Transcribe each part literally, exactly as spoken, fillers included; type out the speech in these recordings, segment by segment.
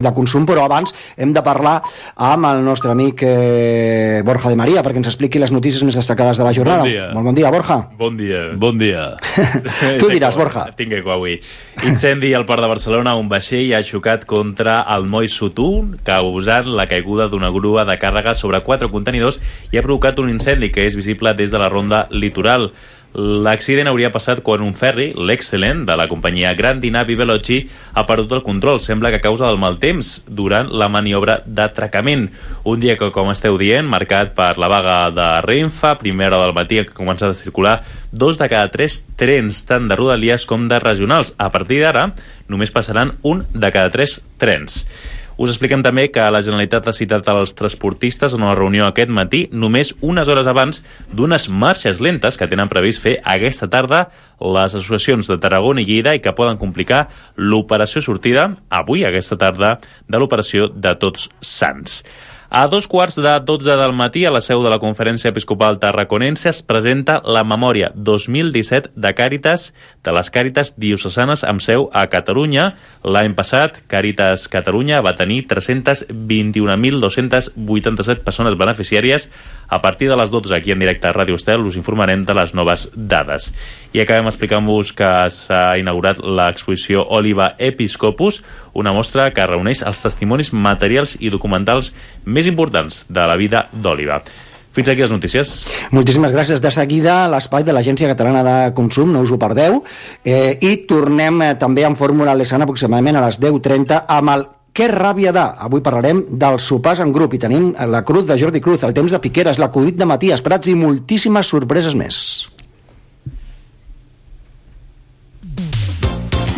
de consum, però abans hem de parlar amb el nostre amic eh, Borja de Maria perquè ens expliqui les notícies més destacades de la jornada. Bon dia. Molt bon dia, Borja. Bon dia. Bon dia. Tu diràs, Borja. Tinc eco avui. Incendi al port de Barcelona. Un vaixell ha xocat contra el moll Sotú, causant la caiguda d'una grua de càrrega sobre quatre contenidors i ha provocat un incendi que és visible des de la ronda litoral. L'accident hauria passat quan un ferri, l'Excellent, de la companyia Grandi Navi Veloci, ha perdut el control. Sembla que a causa del mal temps durant la maniobra d'atracament. Un dia que, com esteu dient, marcat per la vaga de Renfe, primera hora del matí que ha començat a circular dos de cada tres trens, tant de Rodalies com de regionals. A partir d'ara, només passaran un de cada tres trens. Us expliquem també que la Generalitat ha citat als transportistes en una reunió aquest matí, només unes hores abans d'unes marxes lentes que tenen previst fer aquesta tarda les associacions de Tarragona i Lleida i que poden complicar l'operació sortida avui, aquesta tarda, de l'operació de Tots Sants. A dos quarts de dotze del matí, a la seu de la Conferència Episcopal Tarraconense, es presenta la memòria dos mil disset de Càritas, de les Càritas diocesanes amb seu a Catalunya. L'any passat, Càritas Catalunya va tenir tres-cents vint-i-un mil dos-cents vuitanta-set persones beneficiàries. A partir de les dotze, aquí en directe a Ràdio Estel, us informarem de les noves dades. I acabem explicant-vos que s'ha inaugurat l'exposició Oliva Episcopus, una mostra que reuneix els testimonis materials i documentals més importants de la vida d'Oliva. Fins aquí les notícies. Moltíssimes gràcies. De seguida, l'espai de l'Agència Catalana de Consum, no us ho perdeu. Eh, I tornem eh, també en Fórmula Lesana aproximadament a les deu trenta amb el Que ràbia de. Avui parlarem dels sopars en grup i tenim la Cruz de Jordi Cruz, el temps de Piqueres, l'acudit de Matías Prats i moltíssimes sorpreses més.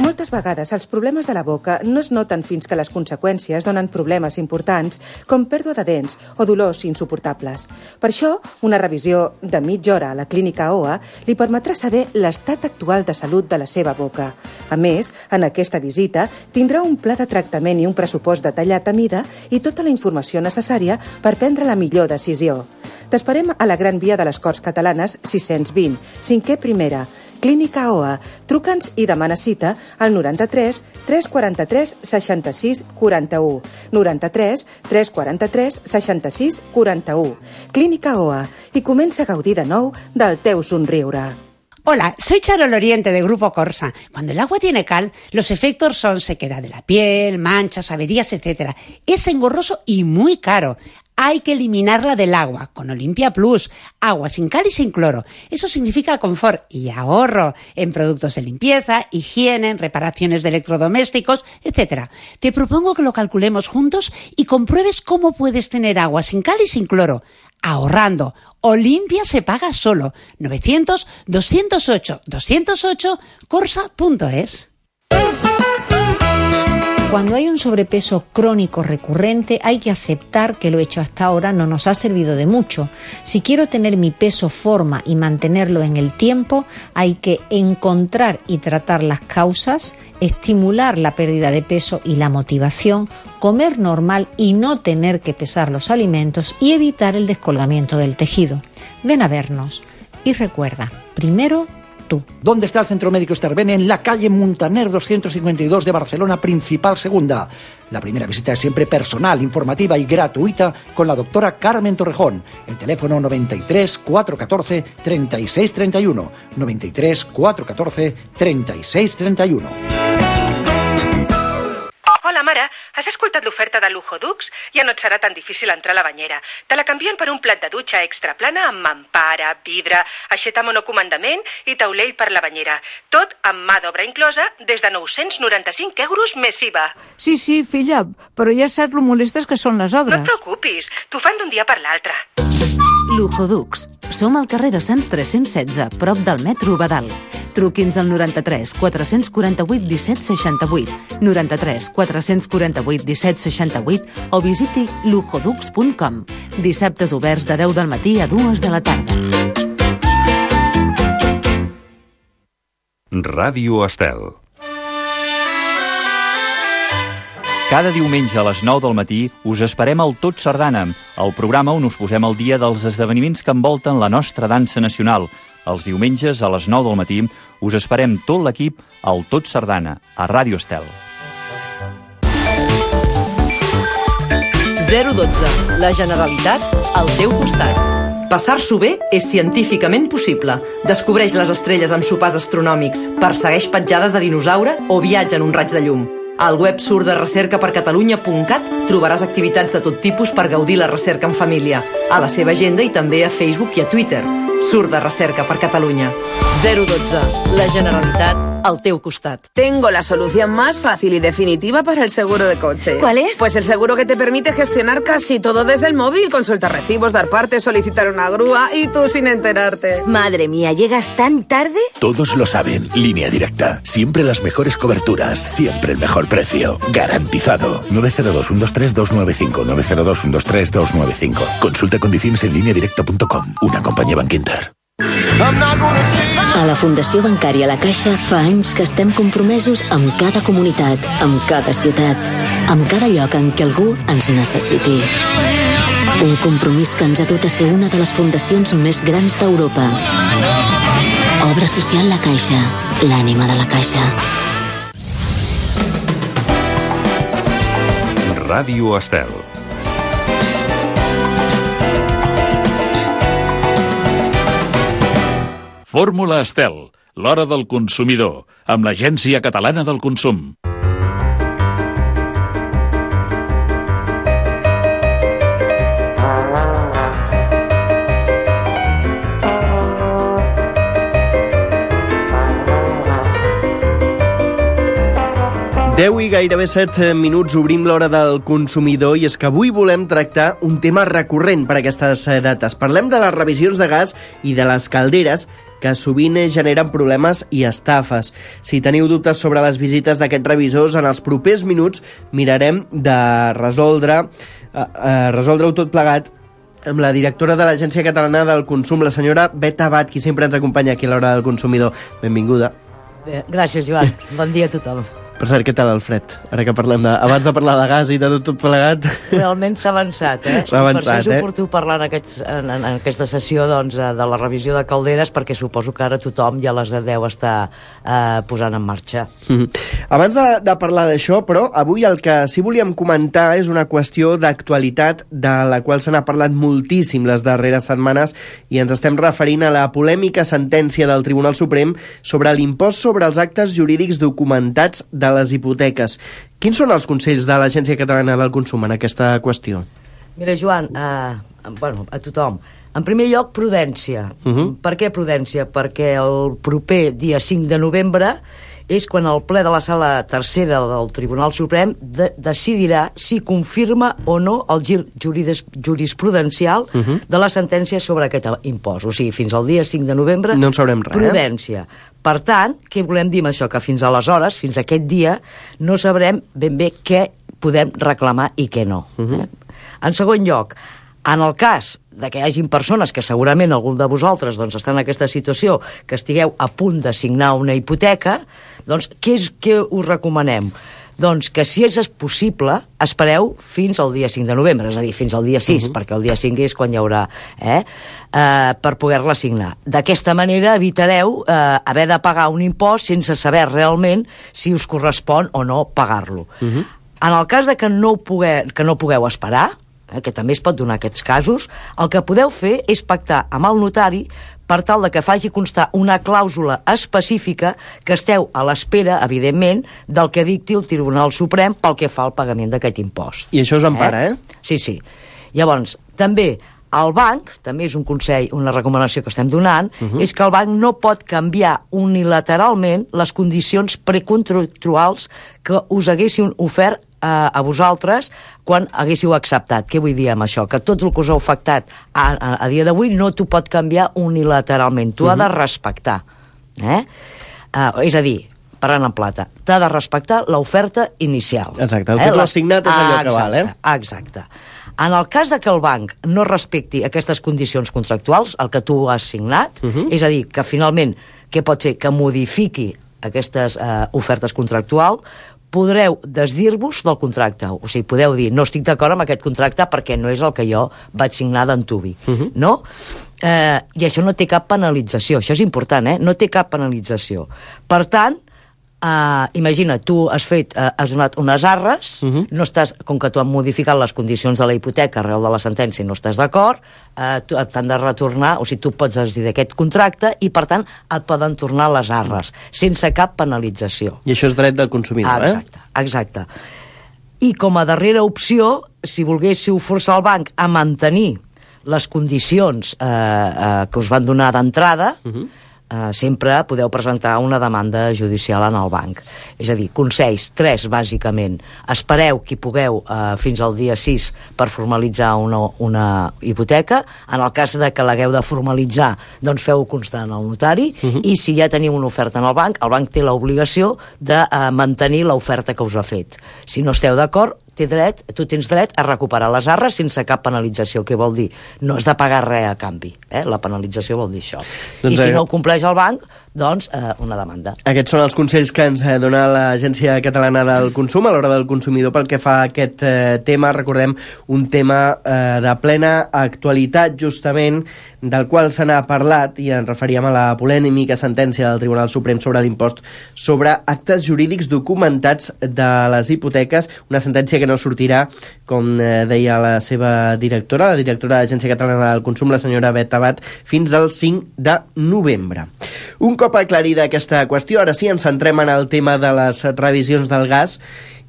Moltes vegades els problemes de la boca no es noten fins que les conseqüències donen problemes importants com pèrdua de dents o dolors insuportables. Per això, una revisió de mitja hora a la clínica O A li permetrà saber l'estat actual de salut de la seva boca. A més, en aquesta visita tindrà un pla de tractament i un pressupost detallat a mida i tota la informació necessària per prendre la millor decisió. T'esperem a la Gran Via de les Corts Catalanes sis-cents vint, cinquè primera, Clínica O A. Truca'ns i demana cita al noranta-tres tres quaranta-tres seixanta-sis quaranta-u. noranta-tres tres quaranta-tres seixanta-sis quaranta-u. Clínica O A. I comença a gaudir de nou del teu somriure. Hola, soy Charol Oriente de Grupo Corsa. Cuando el agua tiene cal, los efectos son sequedad de la piel, manchas, averías, etcétera. Es engorroso y muy caro. Hay que eliminarla del agua con Olimpia Plus, agua sin cal y sin cloro. Eso significa confort y ahorro en productos de limpieza, higiene, en reparaciones de electrodomésticos, etcétera. Te propongo que lo calculemos juntos y compruebes cómo puedes tener agua sin cal y sin cloro. Ahorrando. Olimpia se paga solo. novecientos, doscientos ocho, doscientos ocho, corsa punto es. Cuando hay un sobrepeso crónico recurrente, hay que aceptar que lo hecho hasta ahora no nos ha servido de mucho. Si quiero tener mi peso, forma y mantenerlo en el tiempo, hay que encontrar y tratar las causas, estimular la pérdida de peso y la motivación, comer normal y no tener que pesar los alimentos y evitar el descolgamiento del tejido. Ven a vernos y recuerda, primero tú. ¿Dónde está el Centro Médico Estervene? En la calle Muntaner doscientos cincuenta y dos de Barcelona, Principal Segunda. La primera visita es siempre personal, informativa y gratuita con la doctora Carmen Torrejón. El teléfono noventa y tres, cuatrocientos catorce, treinta y seis treinta y uno. noventa y tres, cuatrocientos catorce, treinta y seis treinta y uno. Hola, mare, has escoltat l'oferta de Lujo Dux? Ja no et serà tan difícil entrar a la banyera. Te la canvien per un plat de dutxa extra plana amb mampara, vidre, aixeta monocomandament i taulell per la banyera. Tot amb mà d'obra inclosa des de nou-cents noranta-cinc euros més I V A. Sí, sí, filla, però ja saps lo molestes que són les obres. No et preocupis, t'ho fan d'un dia per l'altre. Lujo Dux. Som al carrer de Sants tres-cents setze, prop del metro Badal. Truqui'ns al noranta-tres quatre-cents quaranta-vuit disset seixanta-vuit, noranta-tres quatre-cents quaranta-vuit disset seixanta-vuit o visiti lujodux punt com. Dissabtes oberts de deu del matí a dues de la tarda. Ràdio Estel. Cada diumenge a les nou del matí us esperem al Tot Sardana, el programa on us posem al dia dels esdeveniments que envolten la nostra dansa nacional. Els diumenges a les nou del matí us esperem tot l'equip al Tot Sardana, a Ràdio Estel. zero dotze. La Generalitat al teu costat. Passar-s'ho bé és científicament possible. Descobreix les estrelles amb sopars astronòmics, persegueix petjades de dinosaure o viatja en un raig de llum. Al web surt de recerca per catalunya punt cat trobaràs activitats de tot tipus per gaudir la recerca en família, a la seva agenda i també a Facebook i a Twitter. Surt de recerca per Catalunya. zero dotze. La Generalitat al teu costat. Tengo la solución más fácil y definitiva para el seguro de coche. ¿Cuál es? Pues el seguro que te permite gestionar casi todo desde el móvil, consultar recibos, dar partes, solicitar una grúa y tú sin enterarte. Madre mía, ¿llegas tan tarde? Todos lo saben. Línea Directa. Siempre las mejores coberturas. Siempre el mejor precio. Garantizado. nueve cero dos, uno dos tres, dos nueve cinco. nueve cero dos, uno dos tres, dos nueve cinco. Consulta condiciones en línea directa punto com. Una companyia Bankinter. A la Fundació Bancària La Caixa fa anys que estem compromesos amb cada comunitat, amb cada ciutat, amb cada lloc en què algú ens necessiti. Un compromís que ens ha dut a ser una de les fundacions més grans d'Europa. Obra social La Caixa, l'ànima de la Caixa. Ràdio Estel. Fórmula Estel, l'hora del consumidor, amb l'Agència Catalana del Consum. deu i gairebé set minuts obrim l'hora del consumidor i és que avui volem tractar un tema recurrent per aquestes dates. Parlem de les revisions de gas i de les calderes que sovint generen problemes i estafes. Si teniu dubtes sobre les visites d'aquests revisors, en els propers minuts mirarem de resoldre, eh, eh, resoldre-ho tot plegat amb la directora de l'Agència Catalana del Consum, la senyora Beth Abad, qui sempre ens acompanya aquí a l'hora del consumidor. Benvinguda. Bé, gràcies, Joan. Bon dia a tothom. Per cert, què tal el fred? Ara que parlem de... Abans de parlar de gas i de tot, tot plegat... Realment s'ha avançat, eh? S'ha avançat, per això és eh? oportú parlar en, aquests, en, en aquesta sessió doncs, de la revisió de calderes, perquè suposo que ara tothom ja les deu estar eh, posant en marxa. Mm-hmm. Abans de, de parlar d'això, però, avui el que sí volíem comentar és una qüestió d'actualitat de la qual se n'ha parlat moltíssim les darreres setmanes i ens estem referint a la polèmica sentència del Tribunal Suprem sobre l'impost sobre els actes jurídics documentats de les hipoteques. Quins són els consells de l'Agència Catalana del Consum en aquesta qüestió? Mira, Joan, eh, bueno, a tothom. En primer lloc, prudència. Uh-huh. Per què prudència? Perquè el proper dia cinc de novembre és quan el ple de la sala tercera del Tribunal Suprem de decidirà si confirma o no el gir juridis jurisprudencial uh-huh. de la sentència sobre aquest impost. O sigui, fins al dia cinc de novembre... No en sabrem res, prudència. Eh? Per tant, què volem dir amb això? Que fins aleshores, fins a aquest dia, no sabrem ben bé què podem reclamar i què no. Uh-huh. eh? En segon lloc, en el cas de que hi hagin persones que segurament algun de vosaltres doncs, està en aquesta situació, que estigueu a punt de signar una hipoteca, doncs què, és, què us recomanem? Doncs que si és possible espereu fins al dia cinc de novembre, és a dir, fins al dia sis, uh-huh. perquè el dia cinc és quan hi haurà eh, eh, per poder-la signar. D'aquesta manera evitareu eh, haver de pagar un impost sense saber realment si us correspon o no pagar-lo. Uh-huh. En el cas de que no, pugueu, que no pugueu esperar, que també es pot donar aquests casos, el que podeu fer és pactar amb el notari per tal de que faci constar una clàusula específica que esteu a l'espera, evidentment, del que dicti el Tribunal Suprem pel que fa al pagament d'aquest impost. I això us empara, eh? eh? Sí, sí. Llavors, també el banc, també és un consell, una recomanació que estem donant, uh-huh. és que el banc no pot canviar unilateralment les condicions precontractuals que us haguessin ofert a vosaltres quan haguéssiu acceptat. Què vull dir amb això? Que tot el que us ha afectat a, a, a dia d'avui no t'ho pot canviar unilateralment. Tu uh-huh. ha de respectar. Eh? Uh, és a dir, parlant en plata, t'ha de respectar l'oferta inicial. Exacte, el que eh? tu has signat és allò exacte, que val, eh? Exacte. En el cas de que el banc no respecti aquestes condicions contractuals, el que tu has signat, uh-huh. és a dir, que finalment, què pot fer? Que modifiqui aquestes uh, ofertes contractuals, podreu desdir-vos del contracte. O sigui, podeu dir, no estic d'acord amb aquest contracte perquè no és el que jo vaig signar d'antuvi. Uh-huh. No? Eh, I això no té cap penalització. Això és important, eh? No té cap penalització. Per tant, Uh, imagina, tu has fet, uh, has donat unes arres, uh -huh. no estàs, com que tu has modificat les condicions de la hipoteca arrel de la sentència i no estàs d'acord, uh, t'han de retornar, o sigui, tu pots decidir d'aquest contracte i, per tant, et poden tornar les arres, sense cap penalització. I això és dret del consumidor, ah, exacte, eh? Exacte. I com a darrera opció, si volguéssiu forçar el banc a mantenir les condicions eh, eh, que us van donar d'entrada, uh -huh. eh, sempre podeu presentar una demanda judicial en el banc. És a dir, consells, tres, bàsicament. Espereu que hi pugueu eh, fins al dia sis per formalitzar una, una hipoteca. En el cas de que l'hagueu de formalitzar, doncs feu constar en el notari, uh -huh. i si ja teniu una oferta en el banc, el banc té l'obligació de eh, mantenir l'oferta que us ha fet. Si no esteu d'acord, té dret, tu tens dret a recuperar les arres sense cap penalització. Què vol dir? No has de pagar res a canvi. Eh? La penalització vol dir això. Doncs I si eh... no ho compleix el banc, doncs eh, una demanda. Aquests són els consells que ens dona l'Agència Catalana del Consum a l'hora del consumidor pel que fa a aquest eh, tema. Recordem, un tema eh, de plena actualitat, justament, del qual se n'ha parlat, i ens referíem a la polèmica sentència del Tribunal Suprem sobre l'impost sobre actes jurídics documentats de les hipoteques, una sentència que no sortirà, com eh, deia la seva directora, la directora de l'Agència Catalana del Consum, la senyora Bet Abad, fins al cinc de novembre. Un cop aclarida aquesta qüestió, ara sí ens centrem en el tema de les revisions del gas,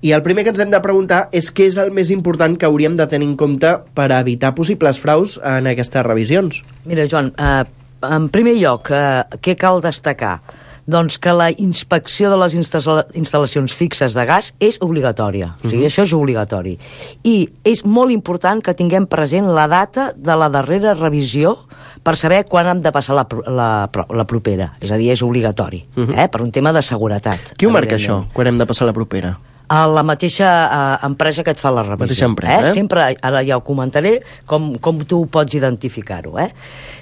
i el primer que ens hem de preguntar és què és el més important que hauríem de tenir en compte per evitar possibles fraus en aquestes revisions. Mira, Joan, eh, en primer lloc, eh, què cal destacar? Doncs que la inspecció de les instal·lacions fixes de gas és obligatòria. O sigui, uh-huh. això és obligatori. I és molt important que tinguem present la data de la darrera revisió per saber quan hem de passar la, la, la propera. És a dir, és obligatori, uh-huh. eh? per un tema de seguretat. Qui ho marca això, quan hem de passar la propera? A la mateixa uh, empresa que et fa la revisió. Mateixa empresa, eh? eh? Sempre, ara ja ho comentaré, com, com tu pots identificar-ho. Eh?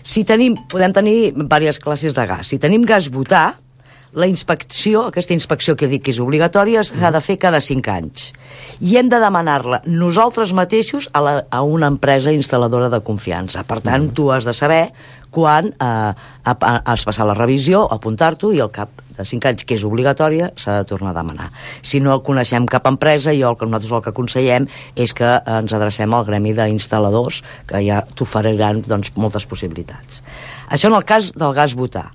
Si tenim, podem tenir diverses classes de gas. Si tenim gas butà, la inspecció, aquesta inspecció que dic que és obligatòria, s'ha de fer cada cinc anys. I hem de demanar-la nosaltres mateixos a, la, a una empresa instal·ladora de confiança. Per tant, mm. tu has de saber quan eh, has passat la revisió, apuntar-t'ho, i al cap de cinc anys, que és obligatòria, s'ha de tornar a demanar. Si no coneixem cap empresa, jo el que nosaltres el que aconsellem és que ens adrecem al gremi d'instal·ladors, que ja t'oferiran doncs, moltes possibilitats. Això en el cas del gas butà.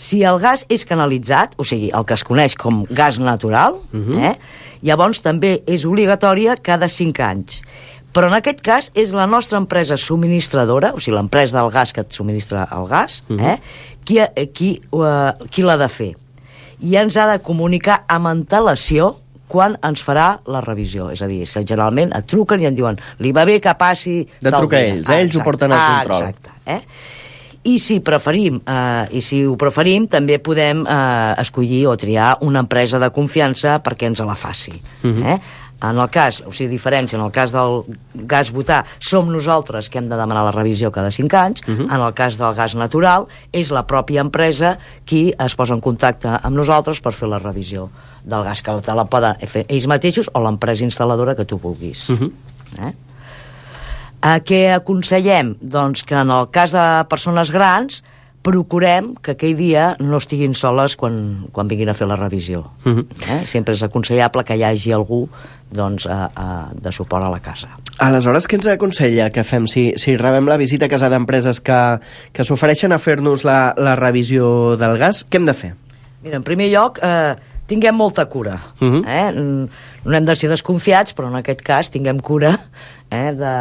Si el gas és canalitzat, o sigui, el que es coneix com gas natural, uh-huh. eh, llavors també és obligatòria cada cinc anys. Però en aquest cas és la nostra empresa subministradora, o sigui, l'empresa del gas que et subministra el gas, uh-huh. eh, qui, qui, uh, qui l'ha de fer. I ens ha de comunicar amb antelació quan ens farà la revisió. És a dir, generalment et truquen i et diuen li va bé que passi... De trucar ells, eh? Ah, ells ho porten al ah, control. Exacte, eh? I si preferim, eh, i si ho preferim, també podem eh, escollir o triar una empresa de confiança perquè ens la faci. Uh-huh. eh? En el cas, o sigui, diferència, en el cas del gas butà, som nosaltres que hem de demanar la revisió cada cinc anys, uh-huh. en el cas del gas natural, és la pròpia empresa qui es posa en contacte amb nosaltres per fer la revisió del gas, que te la poden fer ells mateixos o l'empresa instal·ladora que tu vulguis. Uh-huh. eh? A què aconsellem? Doncs que en el cas de persones grans procurem que aquell dia no estiguin soles quan, quan vinguin a fer la revisió. Uh-huh. eh? Sempre és aconsellable que hi hagi algú doncs, a, a, de suport a la casa. Aleshores, què ens aconsella que fem si, si rebem la visita a casa d'empreses que, que s'ofereixen a fer-nos la, la revisió del gas? Què hem de fer? Mira, en primer lloc, eh, tinguem molta cura. Uh-huh. eh? No hem de ser desconfiats, però en aquest cas tinguem cura eh, de...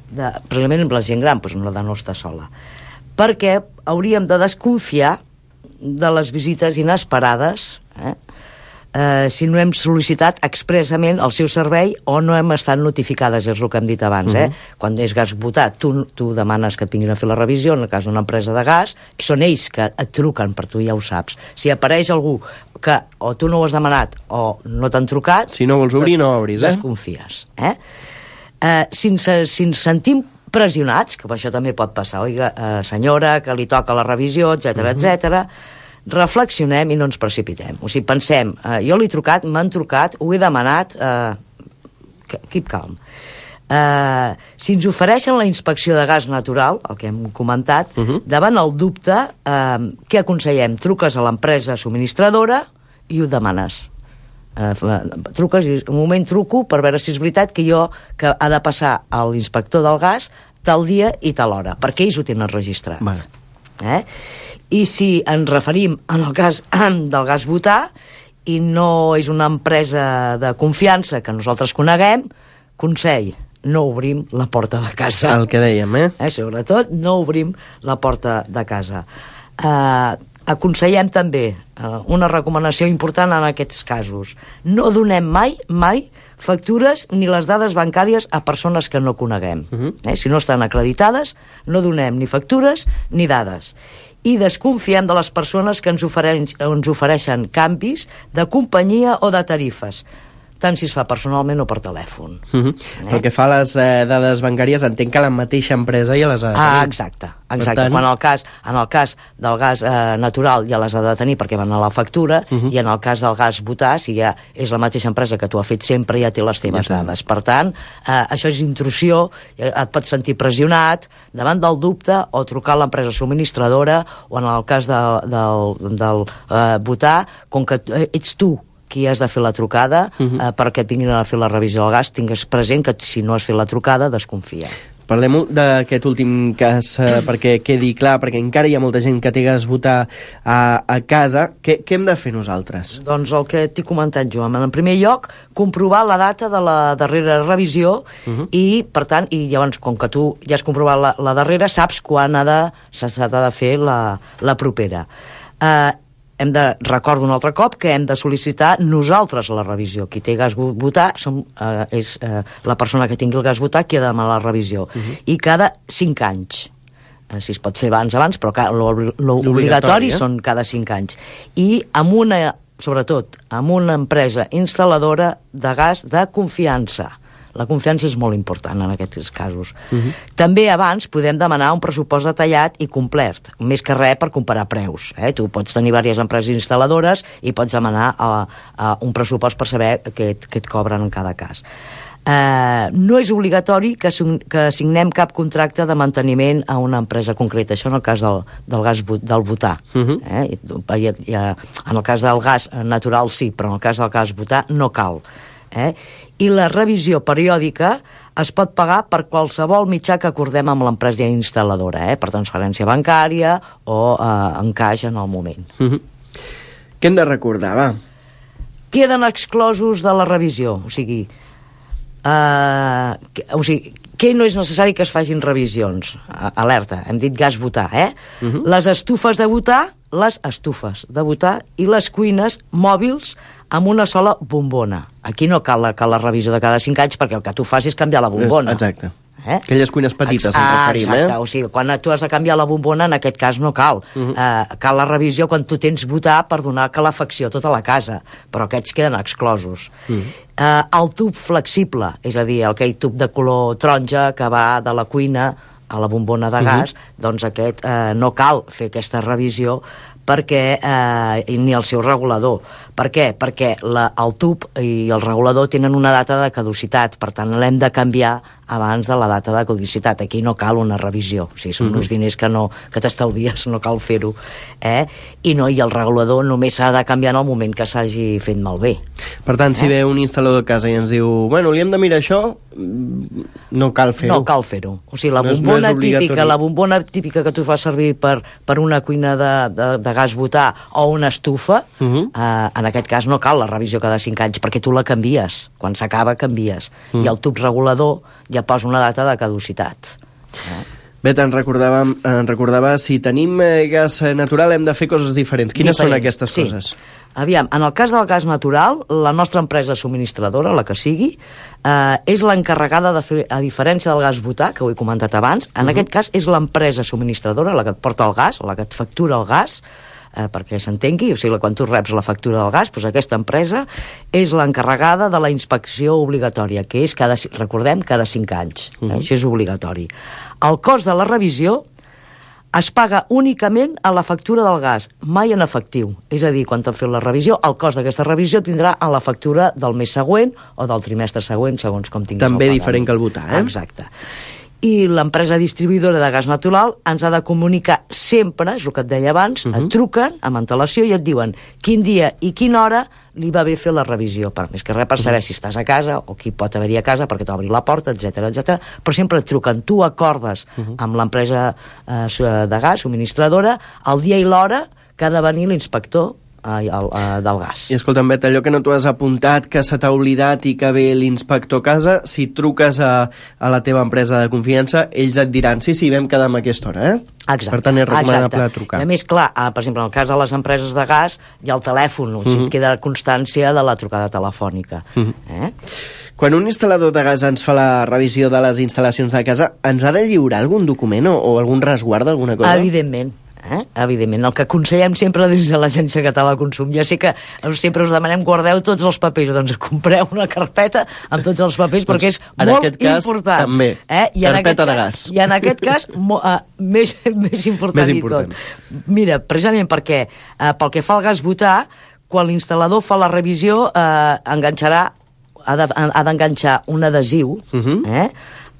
De, precisament amb la gent gran, doncs no, de no estar sola, perquè hauríem de desconfiar de les visites inesperades eh? Eh, si no hem sol·licitat expressament el seu servei o no hem estat notificades, és el que hem dit abans. Uh-huh. eh? Quan és gas butà, tu, tu demanes que et vinguin a fer la revisió, en el cas d'una empresa de gas, són ells que et truquen, per tu ja ho saps. Si apareix algú que o tu no ho has demanat o no t'han trucat, si no vols obrir, des, no obris, eh? desconfies. Eh? Eh, si, ens, si ens sentim pressionats, que això també pot passar, oiga, eh, senyora, que li toca la revisió, etcètera, uh-huh. etcètera, reflexionem i no ens precipitem. O sigui, pensem, eh, jo l'he trucat, m'han trucat, ho he demanat, eh, keep calm. Eh, si ens ofereixen la inspecció de gas natural, el que hem comentat, uh-huh. davant el dubte, eh, què aconsellem? Truques a l'empresa subministradora i ho demanes. Uh, truques i un moment truco per veure si és veritat que jo que ha de passar a l'inspector del gas tal dia i tal hora, perquè ells ho tenen registrat. Vale. Eh? I si ens referim en el cas del gas butà i no és una empresa de confiança que nosaltres coneguem, consell, no obrim la porta de casa. El que dèiem, eh? eh sobretot, no obrim la porta de casa. Eh... Aconsellem també eh, una recomanació important en aquests casos. No donem mai, mai, factures ni les dades bancàries a persones que no coneguem. Uh-huh. eh, si no estan acreditades, no donem ni factures ni dades. I desconfiem de les persones que ens ofereixen, ens ofereixen canvis de companyia o de tarifes, tant si es fa personalment o per telèfon. Uh-huh. eh? El que fa a les eh, dades bancàries, entenc que la mateixa empresa ja les ha de tenir. Ah, exacte. exacte. Tant... Quan el cas, en el cas del gas eh, natural ja les ha de tenir perquè van a la factura, uh-huh. i en el cas del gas butà, si ja és la mateixa empresa que tu has fet sempre, ja té les teves ja dades. Per tant, eh, això és intrusió, et pots sentir pressionat davant del dubte o trucar a l'empresa subministradora, o en el cas de, del, del eh, butà, com que ets tu qui has de fer la trucada, uh-huh. eh, perquè et vinguin a fer la revisió del gas, tingues present que si no has fet la trucada, desconfia. Parlem d'aquest últim cas eh, perquè quedi clar, perquè encara hi ha molta gent que té gas butà a, a casa. Què, què hem de fer nosaltres? Doncs el que t'he comentat jo. En primer lloc, comprovar la data de la darrera revisió, uh-huh. i, per tant, i llavors, com que tu ja has comprovat la, la darrera, saps quan ha de, s'ha de fer la, la propera. Eh, hem de, recordo un altre cop, que hem de sol·licitar nosaltres la revisió. Qui té gas butà som, eh, és eh, la persona que tingui el gas butà qui ha de demanar la revisió. Uh-huh. I cada cinc anys. Eh, si es pot fer abans, abans, però l'obligatori eh? són cada cinc anys. I amb una, sobretot, amb una empresa instal·ladora de gas de confiança. La confiança és molt important en aquests casos. Uh-huh. També abans podem demanar un pressupost detallat i complet, més que res per comparar preus. Eh? Tu pots tenir diverses empreses instal·ladores i pots demanar a, a un pressupost per saber què, què et cobren en cada cas. Eh, no és obligatori que, que signem cap contracte de manteniment a una empresa concreta. Això en el cas del, del gas del butà. Uh-huh. eh? I, i, en el cas del gas natural sí, però en el cas del gas butà no cal. Eh? I la revisió periòdica es pot pagar per qualsevol mitjà que acordem amb l'empresa instal·ladora, eh? per transferència bancària o eh, en caix en el moment. Uh-huh. Què hem de recordar, va? Queden exclosos de la revisió, o sigui, eh, que, o sigui que no és necessari que es facin revisions. Alerta, hem dit gas butà, eh? Uh-huh. Les estufes de butà, les estufes de butà i les cuines mòbils amb una sola bombona. Aquí no cal la, cal la revisió de cada cinc anys perquè el que tu fas és canviar la bombona. Exacte. Eh? Aquelles cuines petites, Ex ens referim, exacte, eh? O sigui, quan tu has de canviar la bombona, en aquest cas no cal. Uh-huh. eh, cal la revisió quan tu tens butà per donar calefacció a tota la casa, però aquests queden exclosos. Uh-huh. eh, el tub flexible, és a dir, aquell tub de color taronja que va de la cuina a la bombona de gas, uh-huh. doncs aquest eh, no cal fer aquesta revisió perquè, eh, ni el seu regulador. Per què? Perquè la, el tub i el regulador tenen una data de caducitat, per tant l'hem de canviar abans de la data de caducitat. Aquí no cal una revisió, o sigui, són uh-huh. uns diners que, no, que t'estalvies, no cal fer-ho. Eh? I no, i el regulador només s'ha de canviar en el moment que s'hagi fet malbé. Per tant, si eh? ve un instal·lador a casa i ens diu, bueno, li hem de mirar això, no cal fer-ho. No cal fer-ho. O sigui, la no és, bombona no típica, la bombona típica que tu fas servir per, per una cuina de, de, de gas butà o una estufa, uh-huh. eh, en aquest cas no cal la revisió cada cinc anys, perquè tu la canvies. Quan s'acaba, canvies. Uh-huh. I el tub regulador ja posa una data de caducitat. Eh? Bé, te'n recordava, en recordava, si tenim eh, gas natural hem de fer coses diferents. Quines diferents, són aquestes sí. coses? Aviam, en el cas del gas natural, la nostra empresa subministradora, la que sigui, eh, és l'encarregada de fer, a diferència del gas butà, que ho he comentat abans, en uh-huh. aquest cas és l'empresa subministradora, la que et porta el gas, la que et factura el gas, eh, perquè s'entengui, o sigui, quan tu reps la factura del gas, doncs aquesta empresa és l'encarregada de la inspecció obligatòria, que és, cada, recordem, cada cinc anys. Uh-huh. eh? Això és obligatori. El cost de la revisió es paga únicament a la factura del gas, mai en efectiu. És a dir, quan t'han fet la revisió, el cost d'aquesta revisió tindrà a la factura del mes següent o del trimestre següent, segons com tinguis També el diferent que el butà, eh? Exacte. i l'empresa distribuïdora de gas natural ens ha de comunicar sempre, és el que et deia abans, uh -huh. et truquen amb antelació i et diuen quin dia i quina hora li va bé fer la revisió, per més que res per saber uh -huh. si estàs a casa o qui pot haver-hi a casa perquè t'obri la porta, etc etc. Però sempre et truquen, tu acordes uh -huh. amb l'empresa eh, de gas subministradora el dia i l'hora que ha de venir l'inspector del gas. I escolta'm, Bet, allò que no t'ho has apuntat, que se t'ha oblidat i que ve l'inspector a casa, si truques a, a la teva empresa de confiança, ells et diran, sí, sí, vam quedar a aquesta hora, eh? Exacte. Per tant, és recomanable Exacte. trucar. I a més, clar, per exemple, en el cas de les empreses de gas, hi ha el telèfon, o sigui, Uh-huh. et queda constància de la trucada telefònica. Uh-huh. Eh? Quan un instal·lador de gas ens fa la revisió de les instal·lacions de casa, ens ha de lliurar algun document o, o algun resguard d'alguna cosa? Evidentment. Eh? Evidentment, el que aconsellem sempre des de l'Agència Catalana del Consum, ja sé que sempre us demanem guardeu tots els papers, doncs compreu una carpeta amb tots els papers doncs, perquè és en molt aquest cas, important. També, eh? I carpeta en de cas, gas. I en aquest cas, mo, uh, més, més important Més i important. tot. Mira, precisament perquè, uh, pel que fa al gas butà, quan l'instal·lador fa la revisió, uh, enganxarà, ha de, ha d'enganxar un adhesiu uh-huh. eh?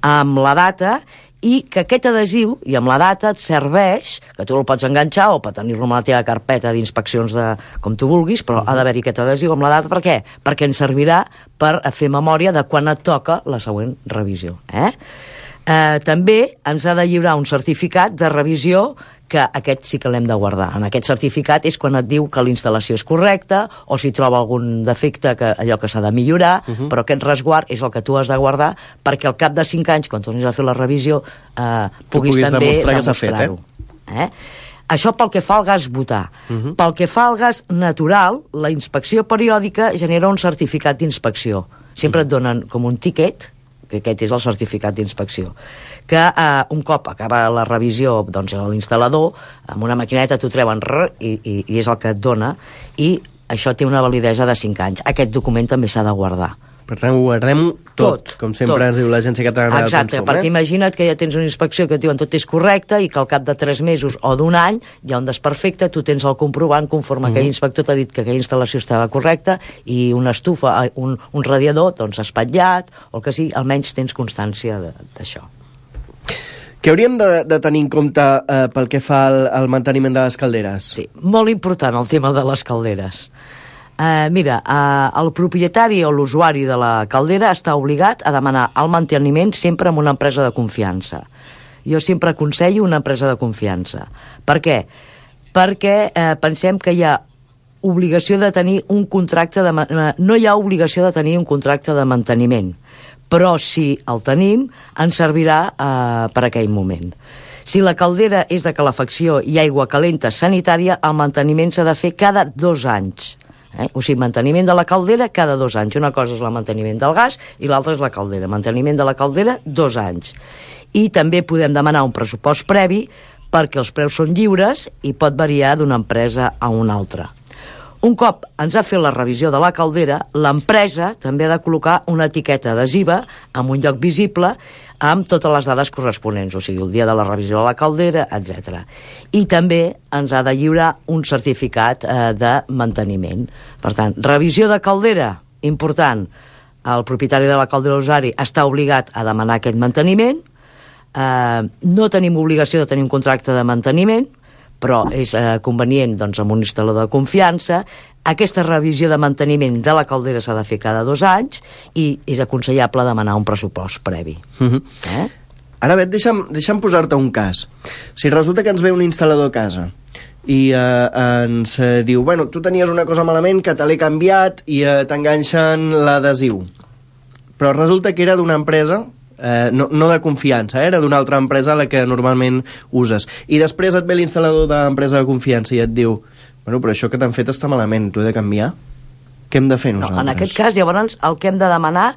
amb la data i que aquest adhesiu, i amb la data, et serveix, que tu el pots enganxar o pot tenir-lo en la teva carpeta d'inspeccions de, com tu vulguis, però uh-huh. ha d'haver-hi aquest adhesiu amb la data. Per què? Perquè ens servirà per fer memòria de quan et toca la següent revisió. Eh? Eh, també ens ha de lliurar un certificat de revisió que aquest sí que l'hem de guardar. En aquest certificat és quan et diu que la instal·lació és correcta o si troba algun defecte, que allò que s'ha de millorar, uh-huh. però aquest resguard és el que tu has de guardar perquè al cap de cinc anys, quan tornis a fer la revisió, eh, puguis, puguis també demostrar-ho. Eh? Eh? Això pel que fa al gas butà. Uh-huh. Pel que fa al gas natural, la inspecció periòdica genera un certificat d'inspecció. Sempre uh-huh. et donen com un tiquet, que aquest és el certificat d'inspecció, que eh, un cop acaba la revisió, doncs l'instal·lador, amb una maquineta t'ho treuen rrr, i, i, i és el que et dona, i això té una validesa de cinc anys. Aquest document també s'ha de guardar. Per tant, ho guardem tot, tot com sempre tot. Ens diu l'Agència Catalana del Consum. Exacte, perquè eh? imagina't que ja tens una inspecció que et diuen tot és correcte i que al cap de tres mesos o d'un any hi ha un desperfecte, tu tens el comprovant conforme uh-huh. aquell inspector t'ha dit que aquella instal·lació estava correcta i una estufa, un, un radiador, doncs espatllat, o el que sigui, almenys tens constància d'això. Què hauríem de, de tenir en compte eh, pel que fa al, al manteniment de les calderes? Sí, molt important el tema de les calderes. Uh, mira, uh, el propietari o l'usuari de la caldera està obligat a demanar el manteniment sempre amb una empresa de confiança. Jo sempre aconsello una empresa de confiança. Per què? Perquè uh, pensem que hi ha obligació de tenir un contracte de... Uh, no hi ha obligació de tenir un contracte de manteniment, però si el tenim, ens servirà uh, per aquell moment. Si la caldera és de calefacció i aigua calenta sanitària, el manteniment s'ha de fer cada dos anys. Eh? O sigui, manteniment de la caldera cada dos anys. Una cosa és el manteniment del gas i l'altra és la caldera. Manteniment de la caldera, dos anys. I també podem demanar un pressupost previ perquè els preus són lliures i pot variar d'una empresa a una altra. Un cop ens ha fet la revisió de la caldera, l'empresa també ha de col·locar una etiqueta adhesiva en un lloc visible amb totes les dades corresponents, o sigui, el dia de la revisió de la caldera, etcètera. I també ens ha de lliurar un certificat eh, de manteniment. Per tant, revisió de caldera, important. El propietari de la caldera usuari està obligat a demanar aquest manteniment. Eh, no tenim obligació de tenir un contracte de manteniment, però és eh, convenient doncs, amb un instal·lador de confiança. Aquesta revisió de manteniment de la caldera s'ha de fer cada dos anys i és aconsellable demanar un pressupost previ. Uh-huh. eh? Ara, Bet, deixa'm, deixa'm posar-te un cas. Si resulta que ens ve un instal·lador a casa i eh, ens eh, diu, bueno, tu tenies una cosa malament que te l'he canviat i eh, t'enganxen l'adhesiu, però resulta que era d'una empresa Eh, no, no de confiança, eh? Era d'una altra empresa a la que normalment uses, i després et ve l'instal·lador d'empresa de confiança i et diu, bueno, però això que t'han fet està malament, t'ho he de canviar? Què hem de fer nosaltres? No, en aquest cas, llavors, el que hem de demanar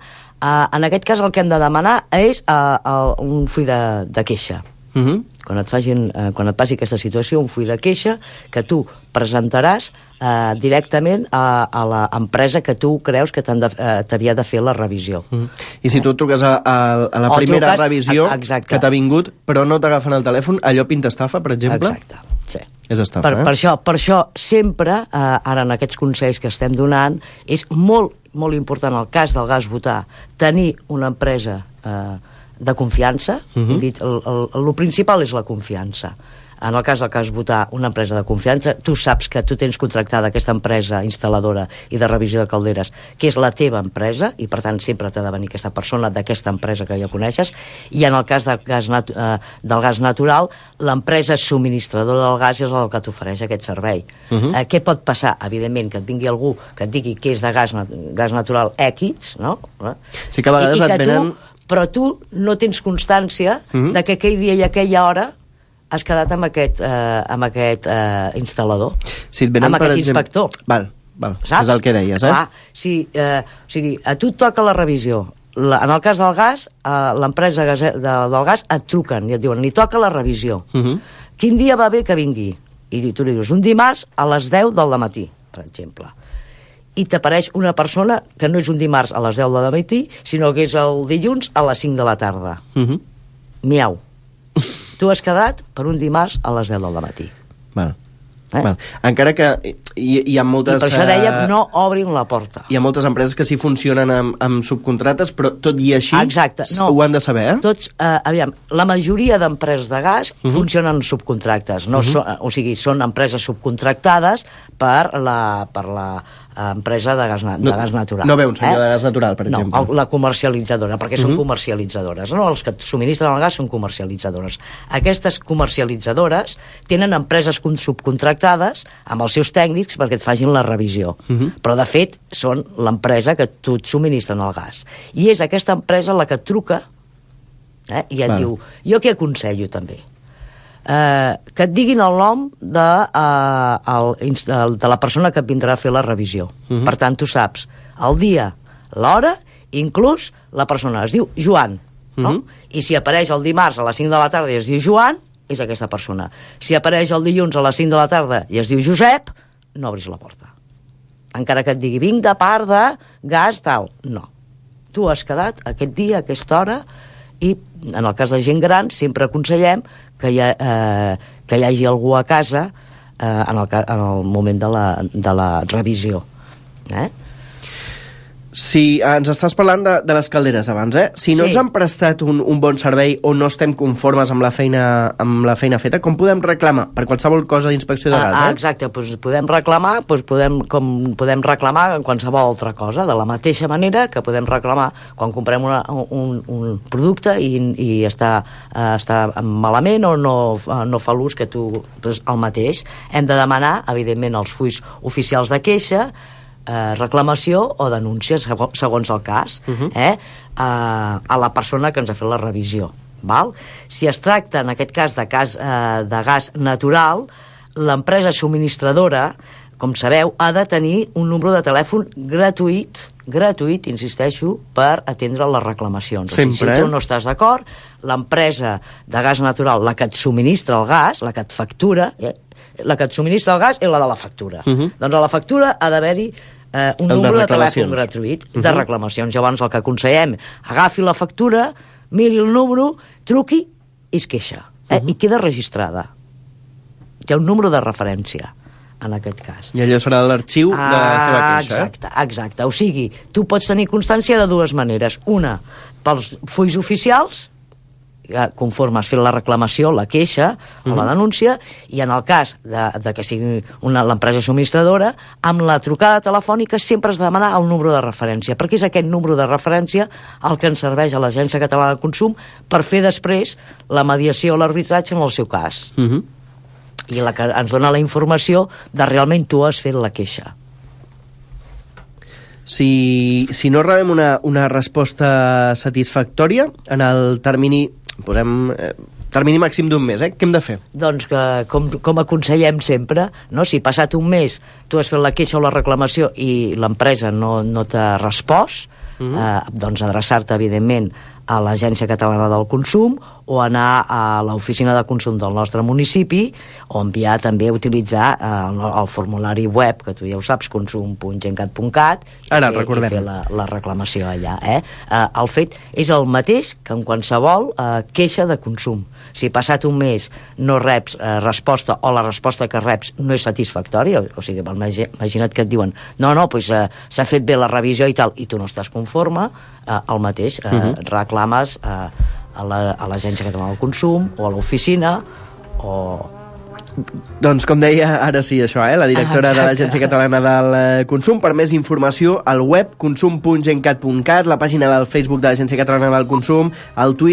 eh, en aquest cas el que hem de demanar és eh, eh, un full de, de queixa. Uh-huh. Quan et facin, eh, quan et passi aquesta situació, un full de queixa que tu presentaràs eh, directament a, a l'empresa que tu creus que de, eh, t'havia de fer la revisió. Uh-huh. I si tu truques a, a, a la o primera truques, revisió a, que t'ha vingut, però no t'agafen el telèfon, allò pinta estafa, per exemple? Exacte, sí. És estafa, per, eh? Per això, per això sempre, eh, ara en aquests consells que estem donant, és molt, molt important el cas del gas butà, tenir una empresa eh, de confiança. Mhm. He dit, el, el, el principal és la confiança. En el cas del que has votar una empresa de confiança, tu saps que tu tens contractada aquesta empresa instal·ladora i de revisió de calderes, que és la teva empresa, i per tant sempre t'ha de venir aquesta persona d'aquesta empresa que ja coneixes, i en el cas del gas, nat eh, del gas natural, l'empresa subministradora del gas és el que t'ofereix aquest servei. Mhm. eh, què pot passar? Evidentment, que et vingui algú que et digui que és de gas, gas natural X, no? Sí que a vegades I, i et que venen... tu, però tu no tens constància Mhm. de que aquell dia i aquella hora has quedat amb aquest, eh, amb aquest eh, instal·lador, Si et venen, amb per aquest exemple- inspector. Val, val. Saps? És el que deies, eh? Clar, si, eh, o sigui, a tu et toca la revisió. La, en el cas del gas, eh, l'empresa gase- de, del gas et truquen i et diuen, li toca la revisió. Mhm. Quin dia va bé que vingui? I tu li dius, un dimarts a les deu del matí, per exemple. I t'apareix una persona que no és un dimarts a les deu del matí, sinó que és el dilluns a les cinc de la tarda. Mhm. Miau. Tu has quedat per un dimarts a les deu del matí. Val. Eh? Val. Encara que hi, hi ha moltes... I per això eh, dèiem, no obrin la porta. Hi ha moltes empreses que sí funcionen amb, amb subcontrates, però tot i així Exacte, no. ho han de saber, eh? Tots, eh, aviam, la majoria d'empreses de gas Mhm. funcionen en subcontractes, no Mhm. són, o sigui, són empreses subcontractades per la, per la eh, empresa de gas, na, No- de gas natural. no ve un senyor de gas natural, per exemple. No, el- la comercialitzadora, perquè són Mhm. comercialitzadores. No? Els que et subministren el gas són comercialitzadores. Aquestes comercialitzadores tenen empreses con- subcontractades amb els seus tècnics perquè et facin la revisió. Mhm. Però, de fet, són l'empresa que tu et subministren el gas. I és aquesta empresa la que et truca eh, i et Val. diu, jo què aconsello també? Eh, que et diguin el nom de, eh, el, inst- el, de la persona que et vindrà a fer la revisió. Mhm. Per tant, tu saps el dia, l'hora, inclús la persona. Es diu Joan, no? Mhm. I si apareix el dimarts a les cinc de la tarda i es diu Joan, és aquesta persona. Si apareix el dilluns a les cinc de la tarda i es diu Josep, no obris la porta. Encara que et digui, vinc de part de gas, tal. No. Tu has quedat aquest dia, a aquesta hora, i en el cas de gent gran sempre aconsellem que hi, ha, eh, que hi hagi algú a casa eh, en, el, ca- en el moment de la, de la revisió. Eh? Si ens estàs parlant de, de les calderes abans, eh? Si no Sí. ens han prestat un, un bon servei o no estem conformes amb la feina, amb la feina feta, com podem reclamar? Per qualsevol cosa d'inspecció de gas, Ah, eh? exacte, doncs podem reclamar, doncs podem, com podem reclamar en qualsevol altra cosa, de la mateixa manera que podem reclamar quan comprem una, un, un producte i, i està, eh, està malament o no, eh, no fa l'ús que tu, doncs el mateix. Hem de demanar, evidentment, els fulls oficials de queixa, eh, reclamació o denúncia, sego- segons el cas, Mhm. eh, a, a la persona que ens ha fet la revisió. Val? Si es tracta, en aquest cas, de, cas, eh, de gas natural, l'empresa subministradora, com sabeu, ha de tenir un número de telèfon gratuït, gratuït, insisteixo, per atendre les reclamacions. Sempre, o sigui, si tu eh? no estàs d'acord, l'empresa de gas natural, la que et subministra el gas, la que et factura, eh, la que et subministra el gas és la de la factura. Mhm. Doncs a la factura ha d'haver-hi eh, un El de número de, reclamacions. telèfon gratuït de Mhm. reclamacions. Llavors el que aconsellem, agafi la factura, miri el número, truqui i es queixa. Eh? Mhm. I queda registrada. Hi ha un número de referència en aquest cas. I allò serà l'arxiu de la seva queixa, eh? Exacte, exacte. O sigui, tu pots tenir constància de dues maneres. Una, pels fulls oficials, eh, conforme has fet la reclamació, la queixa o la Mhm. denúncia, i en el cas de, de que sigui una- l'empresa subministradora, amb la trucada telefònica sempre has de demanar el número de referència, perquè és aquest número de referència el que ens serveix a l'Agència Catalana de Consum per fer després la mediació o l'arbitratge en el seu cas. Mhm. I la que ens dona la informació de realment tu has fet la queixa. Si, si no rebem una, una resposta satisfactòria en el termini, posem, eh, termini màxim d'un mes, eh? Què hem de fer? Doncs que, com, com aconsellem sempre, no? Si passat un mes tu has fet la queixa o la reclamació i l'empresa no, no t'ha respost, Mhm. eh, doncs adreçar-te, evidentment, a l'Agència Catalana del Consum o anar a l'oficina de consum del nostre municipi o enviar també a utilitzar eh, el, el formulari web, que tu ja ho saps, consum punt gencat punt cat, Ara, i, recordem. i fer la, la reclamació allà. Eh? Eh, el fet és el mateix que en qualsevol eh, queixa de consum. Si passat un mes no reps eh, resposta o la resposta que reps no és satisfactòria, o, o sigui, imagi- imagina't que et diuen no, no, doncs, eh, s'ha fet bé la revisió i tal, i tu no estàs conforme, eh, el mateix, eh, Mhm. reclames eh, a la- a l'Agència Catalana del Consum o a l'oficina o... Doncs com deia, ara sí, això, eh? la directora Ah, de exacte. l'Agència Catalana del eh, Consum. Per més informació, al web consum punt gencat punt cat, la pàgina del Facebook de l'Agència Catalana del Consum, el Twitter